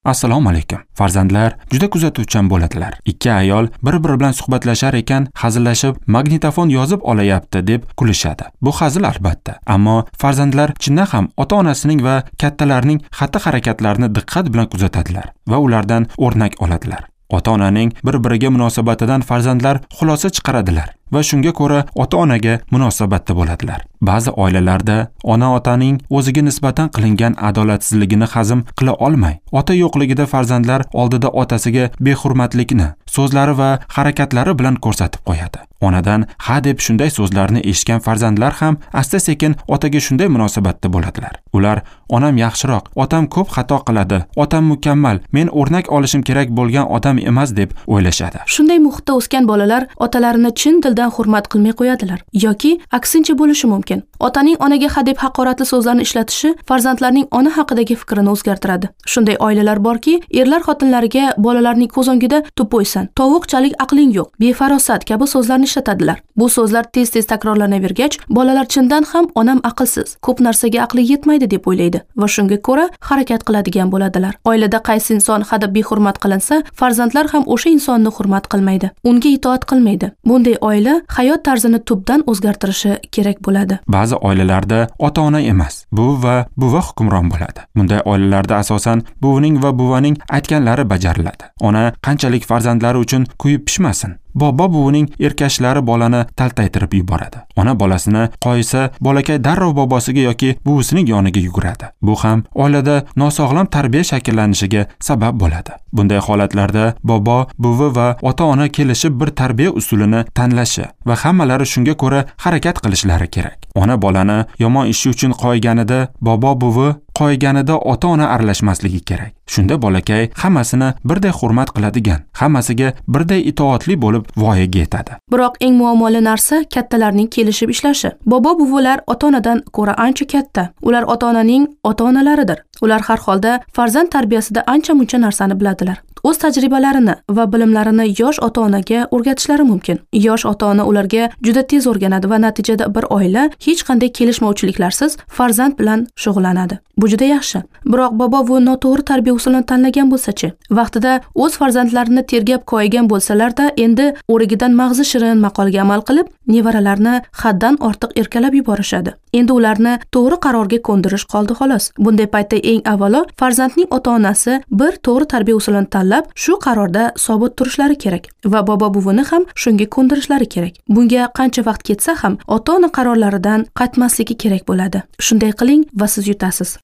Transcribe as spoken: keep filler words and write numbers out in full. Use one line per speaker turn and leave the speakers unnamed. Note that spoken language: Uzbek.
Assalomu alaykum. Farzandlar juda kuzatuvchan bo'ladilar. Ikki ayol bir-biri bilan suhbatlashar ekan, hazillashib, magnitofon yozib olayapti deb kulishadi. Bu hazil albatta, ammo farzandlar chindan ham ota-onasining va kattalarning xatti-harakatlarini diqqat bilan kuzatadilar va ulardan o'rnak oladilar. Ota-onaning bir-biriga munosabatidan farzandlar xulosa chiqaradilar va shunga ko'ra ota-onaga munosabatda bo'ladilar. Ba'zi oilalarda ona-otaning o'ziga nisbatan qilingan adolatsizligini hazm qila olmay, ota yo'qligida farzandlar oldida otasiga behurmatlikni so'zlari va harakatlari bilan ko'rsatib qo'yadi. Onadan ha deb shunday so'zlarni eshitgan farzandlar ham asta-sekin otaga shunday munosabatda bo'ladilar. Ular onam yaxshiroq, otam ko'p xato qiladi, otam mukammal, men o'rnak olishim kerak bo'lgan odam emas deb o'ylashadi.
Shunday muhitda o'sgan bolalar otalarini chin dildan hurmat qilmay qo'yadilar yoki aksincha bo'lishi mumkin. Otaning onaga ha deb haqoratli so'zlarni ishlatishi farzandlarning ona haqidagi fikrini o'zgartiradi. Shunday oilalar borki, erlar xotinlariga bolalarning ko'z o'ngida tupoysan, tovuqchalik aqling yo'q, befarosat kabi so'zlarni ishlatadilar. Bu so'zlar tez-tez takrorlanavergach, bolalar chindan ham onam aqlsiz, ko'p narsaga aqli yetmaydi deb o'ylaydi va shunga ko'ra harakat qiladigan bo'ladilar. Oilada qaysi inson hadeb behurmat qilinsa, farzandlar ham o'sha insonni hurmat qilmaydi, unga itoat qilmaydi. Bunday oila hayot tarzini tubdan o'zgartirishi kerak bo'ladi.
Ba'zi oilalarda ota-ona emas, buvi va buva hukmron bo'ladi. Bunday oilalarda asosan buvining va buvaning aytganlari bajariladi. Ona qanchalik farzandlari uchun kuyib pishmasin, bobo buvining erkashlari bolani taltaytirib yuboradi. Ona bolasini qoyisa, bolakay darrov bobosiga yoki buvisining yoniga yuguradi. Bu ham oilada nosog'lom tarbiya shakllanishiga sabab bo'ladi. Bunday holatlarda bobo, buvi va ota-ona kelishib bir tarbiya usulini tanlashi va hammalari shunga ko'ra harakat qilishlari kerak. Ona bolani yomon ishi uchun qo'yganida, bobo buvi qo'yganida ota-ona aralashmasligi kerak. Shunda bolakay hammasini birday hurmat qiladigan, hammasiga birday itoatli bo'lib voyaga yetadi.
Biroq eng muammoli narsa kattalarning kelishib ishlashi. Bobo buvilar ota-onadan ko'ra ancha katta. Ular ota-onaning ota-onalaridir. Ular har holda farzand tarbiyasida ancha-muncha narsani biladilar. O'z tajribalarini va bilimlarini yosh ota-onaga o'rgatishlari mumkin. Yosh ota-ona ularga juda tez o'rganadi va natijada bir oila hech qanday kelishmovchiliklarsiz farzand bilan shug'ullanadi. Bu juda yaxshi. Biroq bobo bu noto'g'ri tarbiya usulini tanlagan bo'lsa-chi, vaqtida o'z farzandlarini tergab koyigan bo'lsalar-da, endi o'rigidan mag'zi shirin maqolga amal qilib, nevaralarni haddan ortiq erkalab yuborishadi. Endi ularni to'g'ri qarorga ko'ndirish qoldi xolos. Bunday paytda eng avvalo farzandning ota-onasi bir to'g'ri tarbiya usulini tanlab, shu qarorda sobit turishlari kerak va bobo buvini ham shunga ko'ndirishlari kerak. Bunga qancha vaqt ketsa ham ota-ona qarorlaridan qaytmasligi kerak bo'ladi. Shunday qiling va siz yutasiz.